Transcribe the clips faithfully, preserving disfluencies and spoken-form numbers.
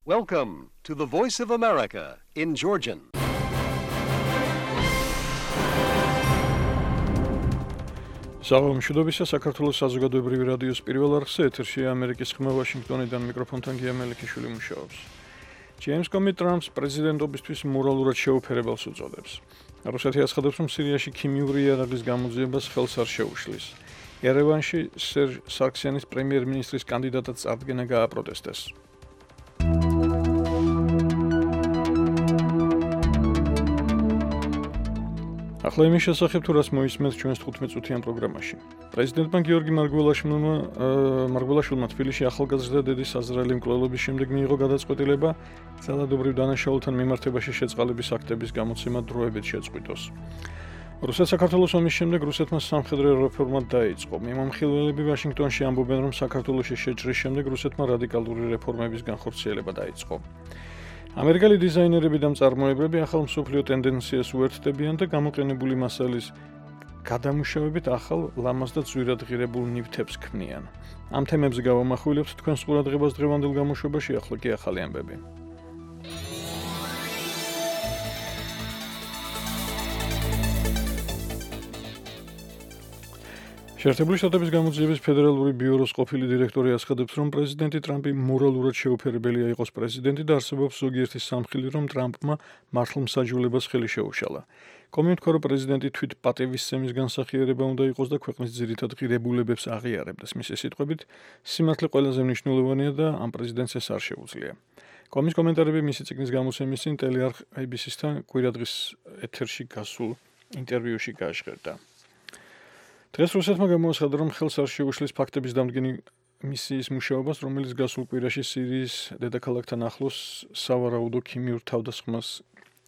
Welcome to the Voice of America in Georgian. Საღამოშიდობისა საქართველოს საზოგადოებრივი რადიოს პირველ არხზე ეთერშია ამერიკის ხმა ვაშინგტონიდან მიკროფონთან გია მელიქიშვილი მუშაობს. ჯეიმს კომი ტრამპს პრეზიდენტობისთვის მორალურად შეუფერებელს უწოდებს. რუსეთი აცხადებს, რომ სირიაში ქიმიური იარაღის გამოძიებას ხელს არ შეუშლის. ერევანში სერჟ სარქსიანის პრემიერ-მინისტრის კანდიდატად წარდგენა გააპროტესტეს. ახლა იმის შესახებ თუ რას მოისმენთ ჩვენს თხუთმეტ წუთიან პროგრამაში. პრეზიდენტმა გიორგი მარგველაშვილმა მარგველაშვილმა თბილისში ახალგაზრდა დედის საზრელი მკვლელობის შემდეგ მიიღო გადაწყვეტილება ძალადობრივ დანაშაულთან მიმართებაში შეწყალების აქტების გამოცემა დროებით შეწყვიტოს. რუსეთ-საქართველოს ომის შემდეგ რუსეთმა სამხედრო რეფორმა დაიწყო. მიმომხილველები ვაშინგტონში ამბობენ, რომ საქართველოში შეჭრის შემდეგ რუსეთმა რადიკალური რეფორმების განხორციელება დაიწყო. ამერიკელი დიზაინერები და მწარმოებლები ახალ მსოფლიო ტენდენციას უერთდებიან და გამოყენებული მასალის გადამუშავებით ახალ ლამაზ და ძვირად ღირებულ ნივთებს ქმნიან. ამ თემებზე გავამახვილებთ თქვენს ყურადღებას დღევანდელ გამოშვებაში, ახლა კი ახალი ამბები. შეერთებული შტატების გამოძიების ფედერალური ბიუროს ყოფილი დირექტორი აცხადებს, რომ პრეზიდენტი ტრამპი მორალურად შეუფერებელია იყოს პრეზიდენტი და არსებობს ზოგიერთი სამხილი, რომ ტრამპმა მართლმსაჯულებას ხელი შეუშალა. კომენტ ქორო პრეზიდენტი თვით პატივისცემის განსახიერება უნდა იყოს და ქვეყნის ძირითად ღირებულებებს აღიარებდეს. მისი სიტყვებით, სიმართლე ყველაზე მნიშვნელოვანია და ამ პრეზიდენტს ეს არ შეუძლია. კომის კომენტარები მისი წიგნის გამოცემის წინ ტელეარხ ეი ბი სი-სთან კვირადღის ეთერში გასულ ინტერვიუში გაჟღერდა. დღეს რუსეთმა გამოაცხადა, რომ ხელს არ შეუშლის ფაქტების დამდგენი მისიის მუშაობას, რომელიც გასულ კვირაში სირიის დედაქალაქთან ახლოს სავარაუდო ქიმიურ თავდასხმას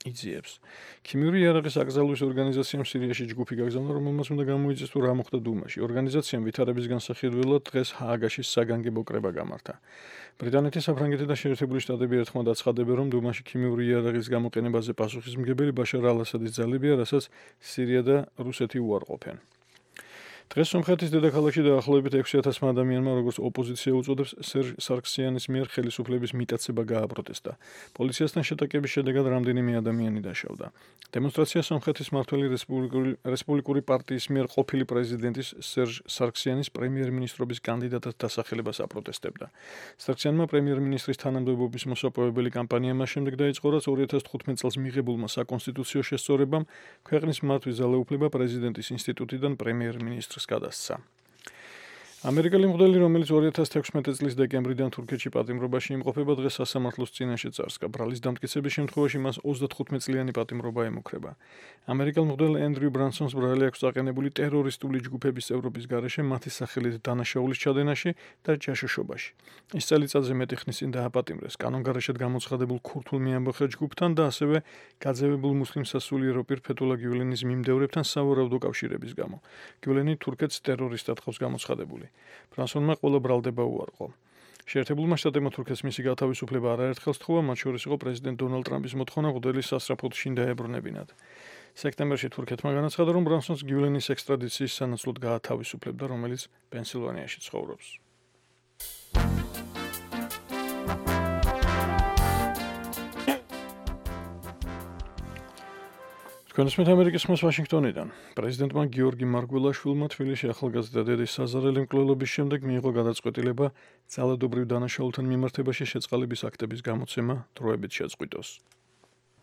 იძიებს. ქიმიური იარაღის აკრძალვის ორგანიზაციამ სირიაში ჯგუფი გაგზავნა, რომელმაც უნდა გამოიწვიოს თუ რა მოხდა დუმაში. ორგანიზაციამ ვითარების განსახილველად დღეს ჰააგაში საგანგებო კრება გამართა. ბრიტანეთი, საფრანგეთი და შეერთებული შტატები ერთხმად აცხადებენ, რომ დუმაში ქიმიური იარაღის გამოყენებაზე პასუხისმგებელი ბაშარ ალ-ასადის ძალებია, რასაც სირია და რუსეთი უარყოფენ. დღეს სომხეთის დედაქალაქში დაახლოებით ექვსი ათასმა ადამიანმა, როგორც ოპოზიცია უწოდებს, სერჟ სარქსიანის მიერ ხელისუფლების მიტაცება გააპროტესტა. პოლიციასთან შეტაკების შედეგად რამდენიმე ადამიანი დაშავდა. დემონსტრაცია სომხეთის მმართველი რესპუბლიკური პარტიის მიერ ყოფილი პრეზიდენტის სერჟ სარქსიანის პრემიერ-მინისტრობის კანდიდატად დასახელებას აპროტესტებდა. სარქსიანმა პრემიერ-მინისტრის თანამდებობის მოსაპოვებელი კამპანია მას შემდეგ დაიწყო, რაც ორი ათას თხუთმეტ წელს მიღებულმა საკონსტიტუციო შესწორებამ ქვეყნის მართვის ძალაუფლება პრეზიდენტის ინსტიტუტიდან პრემიერ-მინისტრს გადასცა. ამერიკელი მღვდელი, რომელიც ორი ათას თექვსმეტი წლის დეკემბრიდან თურქეთში პატიმრობაში იმყოფება, დღეს სასამართლოს წინაშე წარსდგა. ბრალის დამტკიცების შემთხვევაში მას ოცდათხუთმეტ წლიანი პატიმრობა ემუქრება. ამერიკელ მღვდელ ენდრიუ ბრანსონს ბრალი აქვს დაყენებული ტერორისტული ჯგუფების წევრობის გარეშე მათი სახელით დანაშაულის ჩადენაში და ჯაშუშობაში. ის წელიწადზე მეტი ხნის წინ დააპატიმრეს კანონგარეშედ გამოცხადებულ ქურთულ მიამბოხე ჯგუფთან და ასევე გაძევებულ მუსლიმ სასულიერო პირ ფეთულა გიულენის მიმდევრებთან სავარაუდო კავშირების გამო. გიულენი თურქეთს ტერორისტად ყავს გამოცხადებული. ბრანსონმა ყველა ბრალდება უარყო. შეერთებულმა შტატებმა თურქეთს მისი გათავისუფლება არაერთხელ სთხოვა, მათ შორის იყო პრეზიდენტ დონალდ ტრამპის მოთხოვნა მღვდელის სასწრაფოდ შინ დაებრუნებინათ. სექტემბერში თურქეთმა განაცხადა, რომ ბრანსონს გიულენის ექსტრადიციის სანაცვლოდ გაათავისუფლებდა, რომელიც პენსილვანიაში ცხოვრობს. თქვენსმით ამერიკის ხმას ვაშინგტონიდან. პრეზიდენტმა გიორგი მარგველაშვილმა თბილისში ახალგაზრდა დედის საზარელი მკვლელობის შემდეგ მიიღო გადაწყვეტილება ძალადობრივ დანაშაულთან მიმართებაში შეწყალების აქტების გამოცემა დროებით შეწყვიტოს.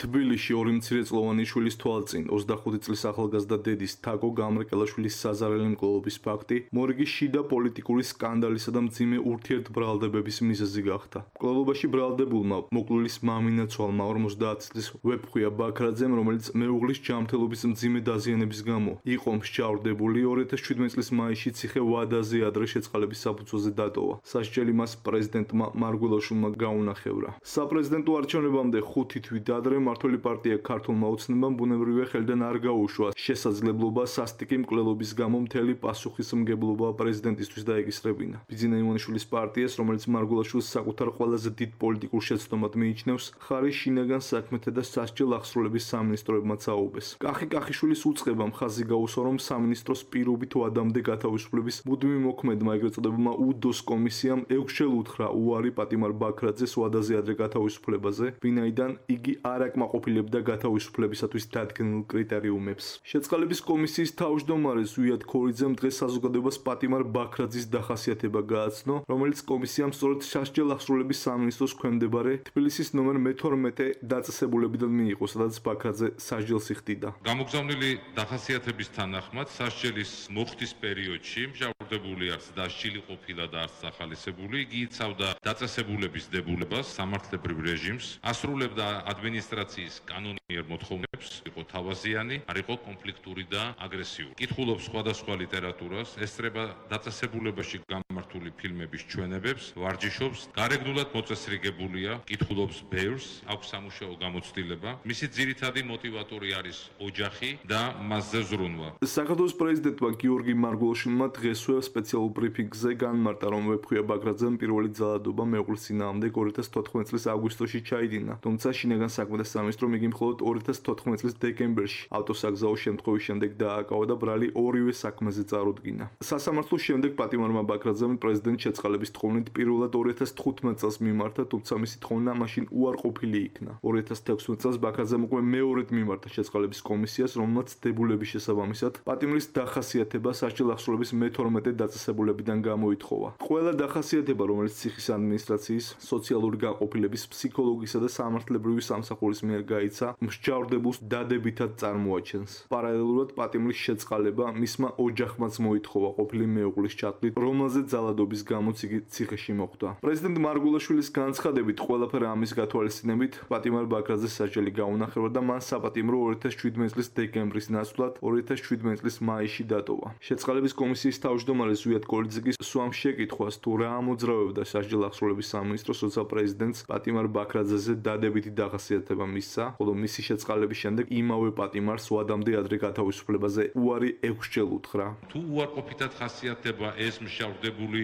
თბილისში ორი მცირეწლოვანი შვილის თვალწინ ოცდახუთი წლის ახალგაზრდა დედის თაკო გამრეკელაშვილის საზარელი მკვლელობის ფაქტი მორიგის შიდა პოლიტიკური სკანდალისა და მძიმე ურთიერთბრალდებების მიზეზი გახდა. მკვლელობაში ბრალდებულმა მოკლულის მამინაცვალმა ორმოცდაათი წლის ვეფხვია ბაქრაძემ, რომელიც მეუღლის ჯანმრთელობის მძიმე დაზიანების გამო იყო მსჯავრდებული, ორი ათას შვიდმეტი წლის მაისში ციხე ვადაზე ადრე შეწყალების საფუძველზე დატოვა. სასჯელი მას პრეზიდენტმა მარგველაშვილმა გაუნახევრა. საპრეზიდენტო არჩევნებამდე ხუთი თვით ადრე მმართველი პარტია ქართულმა ოცნებამ ბუნებრივია ხელიდან არ გაუშვა შესაძლებლობა სასტიკი მკვლელობის გამო მთელი პასუხისმგებლობა პრეზიდენტისთვის დაეკისრებინა. ბიძინა ივანიშვილის პარტიას, რომელიც მარგულაშვილს საკუთარ ყველაზე დიდ პოლიტიკურ შეცდომად მიიჩნევს, ხარი შინაგან საქმეთა და სასჯელ აღსრულების სამინისტროებმაც აუღეს. კახი კახიშვილის უწყებამ ხაზი გაუსვა, რომ სამინისტროს პირობით ვადამდე გათავისუფლების მუდმივ მოქმედმა ეგრეთ წოდებულმა უდოს კომისიამ ექვსჯერ უთხრა უარი პატიმარ ბაქრაძეს ვადაზე ადრე გათავისუფლებაზე, ვინაიდან იგი არ აკმაყოფილებდა გათავისუფლებისათვის დადგენილ კრიტერიუმებს. შეწყალების კომისიის თავმჯდომარე ზვიად ქორიძემ დღეს საზოგადოებას პატიმარ ბაქრაძის დახასიათება გააცნო, რომელიც კომისიამ სწორედ სასჯელ აღსრულების სამინისტროს ქვემდებარე თბილისის ნომერ მეთორმეტე დაწესებულებიდან მიიღო, სადაც ბაქრაძე სასჯელს იხდიდა. გამოგზავნილი დახასიათების თანახმად სასჯელის მოხდის პერიოდში მჟავრდებული არც დასჯილი ყოფილა და არც სახალისებული, იგი იცავდა დაწესებულების დებულებას, სამართლებრივ რეჟიმს, ასრულებდა ადმინისტრაციის კანონიერ მოთხოვნებს, იყო თავაზიანი, არ იყო კონფლიქტური და აგრესიული. კითხულობს სხვადასხვა ლიტერატურას, ესწრება დაწესებულებაში გამართული ფილმების ჩვენებებს, ვარჯიშობს, გარეგნულად მოწესრიგებულია, კითხულობს ბევრს, აქვს სამუშაო გამოცდილება. მისი ძირითადი მოტივატორი არის ოჯახი და მასზე ზრუნვა. საქართველოს პრეზიდენტმა გიორგი მარგულაშვილმა დღესვე სპეციალურ ბრიფინგზე განმარტა, რომ ვეფხვია ბაქრაძემ პირველი ძალადობა მეუღლის წინააღმდეგ ორი ათას თოთხმეტ წლის აგვისტოში ჩაიდინა, თუმცა შინაგან საქმეთა სამინისტრომ იგი მხოლოდ ორი ათას თოთხმეტ წლის დეკემბერში ავტოსაგზაო შემთხვევის შემდეგ დააკავა და ბრალი ორივე საქმეზე წარუდგინა. სასამართლოს შემდეგ პატიმარმა ბაქრაძემ პრეზიდენტ შეწყალების თხოვნით პირველად ორი ათას თხუთმეტ წელს მიმართა, თუმცა მისი თხოვნა მაშინ უარყოფილი იქნა. ორი ათას თექვსმეტ წელს ბაქრაძემ უკვე მეორედ მიმართა შეწყალების კომისიას, რომელმაც დებულების შესაბამისად პატიმრის დახასიათება სასჯელ აღსრულების მეთორმეტე დაწესებულებიდან გამოითხოვა. ყველა დახასიათება, რომელიც ციხის ადმინისტრაციის, სოციალური გაყოფილების, ფსიქოლოგისა და სამართლებრივი სამსახურის მიერ გაიცა, მსჯავრდებულს დადებითად წარმოაჩენს. პარალელურად პატიმრის შეწყალება მისმა ოჯახმაც მოითხოვა ყოფილი მეუღლის ჩათვლით, რომელზეც ძალადობის გამოც იგი ციხეში მოხვდა. პრეზიდენტ მარგულაშვილის განცხადებით, ყველაფერი ამის გათვალისწინებით პატიმარ ბაქრაძეს სასჯელი გაუნახება და მან საპატიმრო ორი ათას შვიდმეტ წლის დეკემბრის ნაცვლად ორი ათას შვიდმეტ წლის მაისში დატოვა. შეწყალების კომისიის თავმჯდომარე ზვიად ქორიძე სვამ შეკითხვას, თუ რა ამოძრავებდა სასჯელ აღსრულების სამინისტროს, როცა პრეზიდენტს პატიმარ ბაქრაძეზე დადებითი დახასიათება მისცა, ხოლო მისი შეწყალების შემდეგ იმავე პატიმარს ვადამდე ადრე გათავისუფლებაზე უარი ექვსჯერ უთხრა. თუ უარყოფითად ხასიათდება ეს მჟავრდებული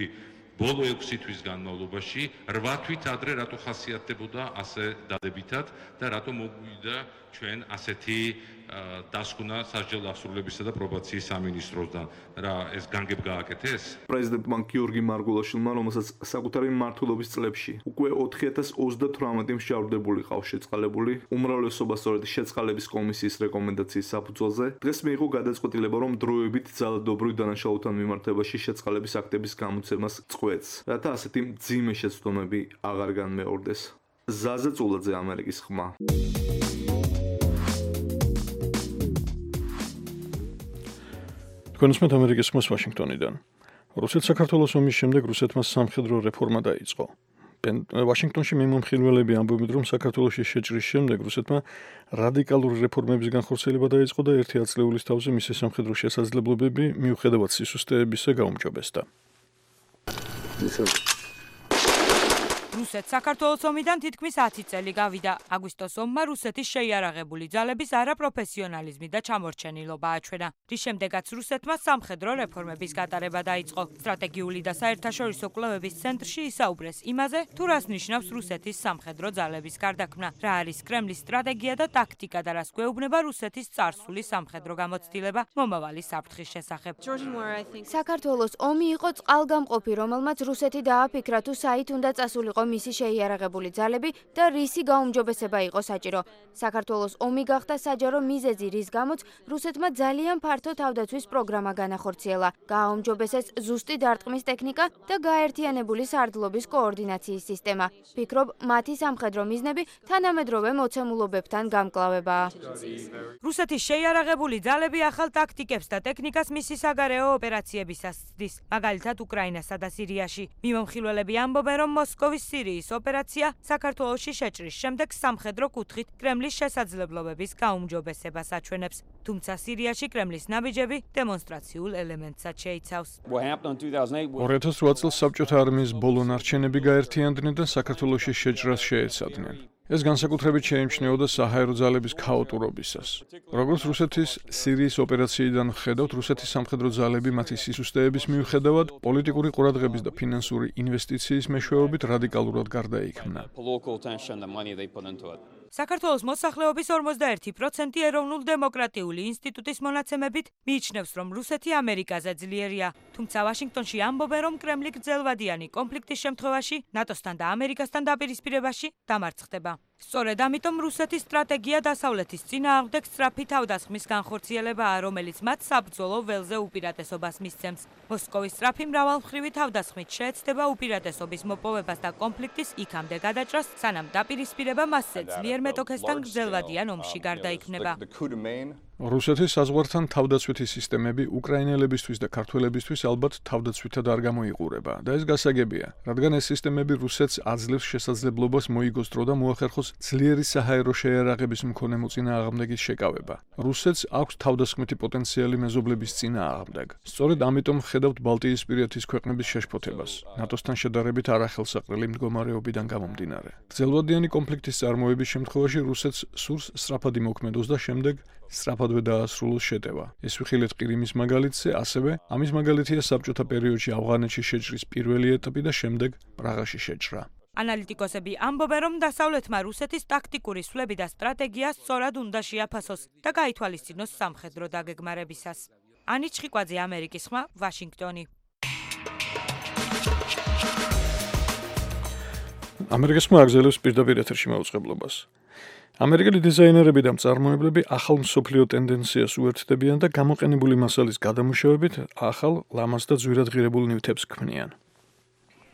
ბოლო ექვსი თვის განმავლობაში, რვა თვით ადრე რატო ხასიათდებოდა ასე დადებითად და რატო მოგვიდა ჩვენ ასეთი დასკვნა სასჯელ აღსრულებისა და პრობაციის სამინისტროსთან, რა ეს განგებ გააკეთეს? პრეზიდენტმა გიორგი მარგულაშვილმა, რომელსაც საკუთარი მმართველობის წლებში უკვე ოთხი ათას ოცდათვრამეტი მსჯავრდებული ყავს შეწყალებული, უმრავლესობა სწორედ შეწყალების კომისიის რეკომენდაციის საფუძველზე, დღეს მიიღო გადაწყვეტილება, რომ დროებით ძალადობრივ დანაშაულთან მიმართებაში შეწყალების აქტების გამოცემას წყვეტს, რათა ასეთი მძიმე შეცდომები აღარ განმეორდეს. ზაზა წულაძე, ამერიკის ხმა. თქვენს მეტ ამერიკის ხმას ვაშინგტონიდან. რუსეთ-საქართველოს ომის შემდეგ რუსეთმა სამხედრო რეფორმა დაიწყო. ვაშინგტონში მიმომხილველები ამბობენ, რომ საქართველოში შეჭრის შემდეგ რუსეთმა რადიკალური რეფორმების განხორციელება დაიწყო და ერთი ათწლეულის თავზე მისი სამხედრო შესაძლებლობები მიუხედავად სისუსტეებისა გაუმჯობესდა. რუსეთ საქართველოს ომიდან თითქმის ათი წელი გავიდა. აგვისტოს ომმა რუსეთის შეიარაღებული ძალების არაპროფესიონალიზმი და ჩამორჩენილობა აჩვენა, რის შემდეგაც რუსეთმა სამხედრო რეფორმების გატარება დაიწყო. სტრატეგიული და საერთაშორისო კვლევების ცენტრში ისაუბრეს იმაზე, თუ რას ნიშნავს რუსეთის სამხედრო ძალების გარდაქმნა, რა არის კრემლის სტრატეგია და ტაქტიკა და რას გვეუბნება რუსეთის წარსული სამხედრო გამოცდილება მომავალი საფრთხის შესახებ. საქართველოს ომი იყო წყალგამყოფი, რომელმაც რუსეთი დააფიქრა, თუ საით უნდა წასულიყო მისი შეიარაღებული ძალები და რისი გაუმჯობესება იყო საჭირო. საქართველოს ომი გახდა საჯარო მიზეზი, რის გამოც რუსეთმა ძალიან ფართო თავდაცვის პროგრამა განახორციელა. გააუმჯობესეს ზუსტი დარტყმის ტექნიკა და გაერთიანებული სარდლობის კოორდინაციის სისტემა. ფიქრობ, მათი სამხედრო მიზნები თანამედროვე მოცემულობებთან გამკლავებაა. რუსეთის შეიარაღებული ძალები ახალ ტაქტიკებს და ტექნიკას მისი საგარეო ოპერაციებისას ცდის, მაგალითად უკრაინასა და სირიაში. მიმომხილველები ამბობენ, რომ მოსკოვის სირიის ოპერაცია საქართველოში შეჭრის შემდეგ სამხედრო კუთხით კრემლის შესაძლებლობების გაუმჯობესებას აჩვენებს. თუმცა სირიაში კრემლის ნაბიჯები დემონსტრაციულ ელემენტსაც შეიცავს. ორი ათას რვა წელს საბჭოთა არმიის ბოლო ნარჩენები გაერთიანდნენ და საქართველოში შეჭრას შეეცადნენ. ეს განსაკუთრებით შეიმჩნეოდა საჰაერო ძალების ქაოტურობისას. როგორც რუსეთის სირიის ოპერაციიდან ხედავთ, რუსეთის სამხედრო ძალები მათი სისუსტეების მიუხედავად პოლიტიკური ყურადღების და ფინანსური ინვესტიციის მეშვეობით რადიკალურად გარდაიქმნა. საქართველოს მოსახლეობის ორმოცდაერთი პროცენტი ეროვნულ დემოკრატიული ინსტიტუტის მონაცემებით მიიჩნევს, რომ რუსეთი ამერიკაზე ძლიერია. თუმცა ვაშინგტონში ამბობენ, რომ კრემლი გრძელვადიანი კონფლიქტის შემთხვევაში ნატოსთან და ამერიკასთან დაპირისპირებაში დამარცხდება. სწორედ ამიტომ რუსეთის სტრატეგია დასავლეთის წინააღმდეგ სწრაფი თავდასხმის განხორციელებაა, რომელიც მათ საბრძოლო ველზე უპირატესობას მისცემს. მოსკოვის სწრაფი მრავალმხრივი თავდასხმით შეეცდება უპირატესობის მოპოვებას და კონფლიქტის იქამდე გადაჭრას, სანამ დაპირისპირება მასზე ძლიერ მეტოქესთან გრძელვადიან ომში გარდაიქმნება. რუსეთის საზღვართან თავდაცვითი სისტემები უკრაინელებისთვის და ქართველებისთვის ალბათ თავდაცვითად არ გამოიყურება და ეს გასაგებია, რადგან ეს სისტემები რუსეთს აძლევს შესაძლებლობას მოიგოს დრო და მოახერხოს ძლიერი საჰაერო შეიარაღების მქონე მოწინააღმდეგის შეკავება. რუსეთს აქვს თავდასხმითი პოტენციალი მეზობლების წინააღმდეგ. სწორედ ამიტომ ხედავთ ბალტიისპირეთის ქვეყნების შეშფოთებას, ნატოსთან შედარებით არახელსაყრელი მდგომარეობიდან გამომდინარე. გრძელვადიანი კონფლიქტის წარმოების შემთხვევაში რუსეთს სურს სწრაფად იმოქმედოს და შემდეგ სწრაფადვე დაასრულოს შეტევა. ეს ვიხილეთ ყირიმის მაგალითზე, ასევე ამის მაგალითია საბჭოთა პერიოდში ავღანეთში შეჭრის პირველი ეტაპი და შემდეგ პრაღაში შეჭრა. ანალიტიკოსები ამბობენ, რომ დასავლეთმა რუსეთის ტაქტიკური სვლები და სტრატეგია სწორად უნდა შეაფასოს და გაითვალისწინოს სამხედრო დაგეგმარებისას. ანი ჩხიკვაძე, ამერიკის ხმა, ვაშინგტონი. ამერიკის ხმა აგზელებს პირდაპირ ეთერში მაუწყებლობას. ამერიკელი დიზაინერები და მწარმოებლები ახალ მსოფლიო ტენდენციას უერთდებიან და გამოყენებული მასალის გადამუშავებით ახალ, ლამაზ და ძვირად ღირებულ ნივთებს ქმნიან.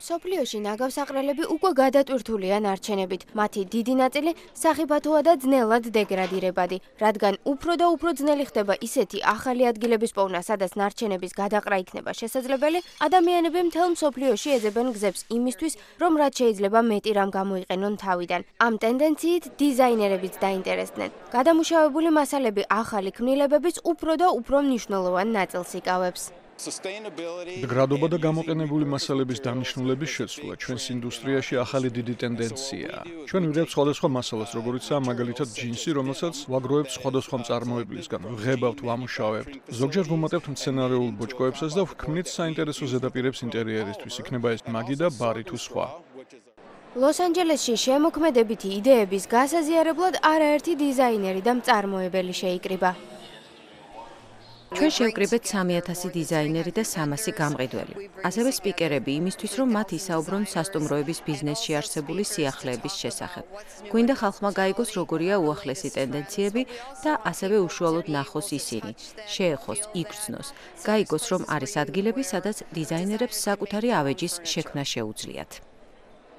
მსოფლიოში ნაგავსაყრელები უკვე გადატვირთულია ნარჩენებით. მათი დიდი ნაწილი სახიფათოა და ძნელად დეგრადირებადი, რადგან უფრო და უფრო ძნელი ხდება ისეთი ახალი ადგილების პოვნა, სადაც ნარჩენების გადაყრა იქნება შესაძლებელი, ადამიანები მთელ მსოფლიოში ეძებენ გზებს იმისთვის, რომ რაც შეიძლება მეტი რამ გამოიყენონ თავიდან. ამ ტენდენციით დიზაინერებიც დაინტერესდნენ. გადამუშავებული მასალები ახალი ქმნილებების უფრო და უფრო მნიშვნელოვან ნაწილს იკავებს. გრადობა და გამოყენებული მასალების დანიშნულების შეცვლა ჩვენს ინდუსტრიაში ახალი დიდი ტენდენციაა. ჩვენ ვიღებთ სხვადასხვა მასალას, როგორიცაა მაგალითად ჯინსი, რომელსაც ვაგროვებთ სხვადასხვა მწარმოებლისგან, ვღებავთ, ვამუშავებთ. ზოგჯერ ვუმატებთ მცენარეულ ბოჭკოებსაც და ვქმნით საინტერესო ზედაპირებს ინტერიერისთვის, იქნება ეს მაგი და ბარი თუ სხვა. ლოს-ანჯელესში შემოქმედებითი იდეების გასაზიარებლად არაერთი დიზაინერი და მწარმოებელი შეიკრიბა. ჩვენ შევკრიბეთ სამი ათასი დიზაინერი და სამასი გამყიდველი. ასევე სპიკერები იმისთვის, რომ მათ ისაუბრონ სასტუმროების ბიზნესში არსებული სიახლეების შესახებ. გვინდა ხალხმა გაიგოს, როგორია უახლესი ტენდენციები და ასევე უშუალოდ ნახოს ისინი, შეეხოს, იგრძნოს, გაიგოს, რომ არის ადგილები, სადაც დიზაინერებს საკუთარი ავეჯის შექმნა შეუძლიათ.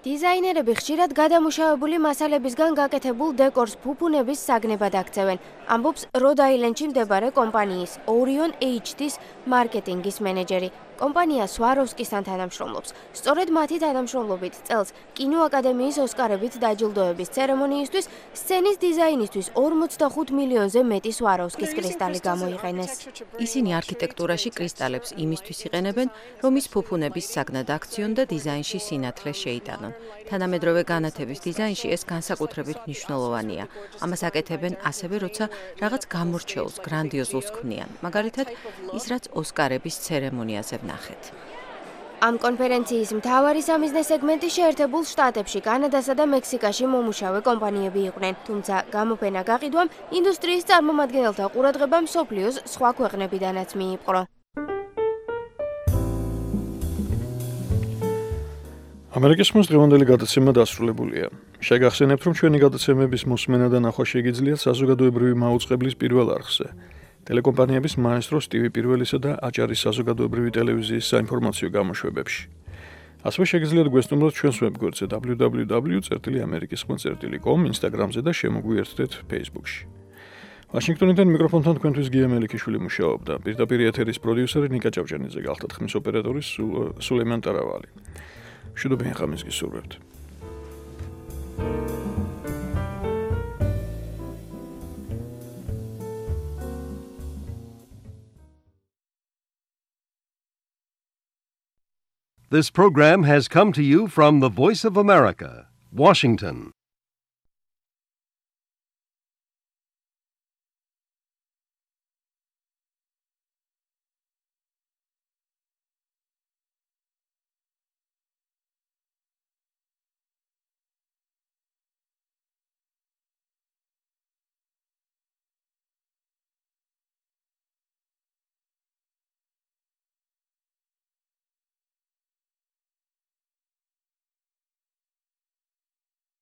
დიზაინერები ხშირად გადამუშავებული მასალებისგან გაკეთებულ დეკორს ფუფუნების საგნებად აქცევენ. ამბობს როდ-აილენდში მდებარე კომპანიის Orion ეიჩ დი-ს მარკეტინგის მენეჯერი. კომპანია სვაროვსკისთან თანამშრომლობს. სწორედ მათი თანამშრომლობით წელს კინოაკადემიის ოსკარებით დაჯილდოების ცერემონიისთვის სცენის დიზაინისთვის ორმოცდახუთ მილიონზე მეტი სვაროვსკის კრისტალი გამოიყენეს. ისინი არქიტექტურაში კრისტალებს იმისთვის იყენებენ, რომ ის ფუფუნების საგნად აქციონ და დიზაინში სინათლე შეიტანონ. თანამედროვე განათების დიზაინში ეს განსაკუთრებით მნიშვნელოვანია. ამას აკეთებენ ასევე, როცა რაღაც გამორჩეულს, გრანდიოზულს ქმნიან. მაგალითად, ის რაც ოსკარების ცერემონიაზე ვნახეთ. ამ კონფერენციის მთავარი სამიზნე სეგმენტი შეერთებულ შტატებში, კანადასა და მექსიკაში მომუშავე კომპანიები იყვნენ, თუმცა გამოფენა გაყიდვამ ინდუსტრიის წარმომადგენელთა ყურადღება მსოფლიოს სხვა ქვეყნებიდანაც მიიპყრო. ამერიკის ხმის დღევანდელი გადაცემა დასრულებულია. შეგახსენებთ, რომ ჩვენი გადაცემების მოსმენა და ნახვა შეგიძლიათ საზოგადოებრივი მაუწყებლის პირველ არხზე. ტელეკომპანიების მაესტროს ტივი პირველისა და აჭარის საზოგადოებრივი ტელევიზიის საინფორმაციო გამოშვებებში. ასევე შეგიძლიათ გვესტუმროთ ჩვენს ვებგვერდზე დაბლიუ დაბლიუ დაბლიუ წერტილი ამერიკის ხმა წერტილი კომ, ინსტაგრამზე და შემოგვიერთდეთ ფეისბუქში. ვაშინგტონიდან მიკროფონთან თქვენთვის გია მელიქიშვილი მუშაობდა. პირდაპირ ეთერის პროდიუსერი ნიკა ჭავჭანიძე გახლდათ, ხმის ოპერატორი სულეიმან ტარავალი. მშვიდობიან ღამეს გისურვებთ. This program has come to you from the Voice of America, Washington.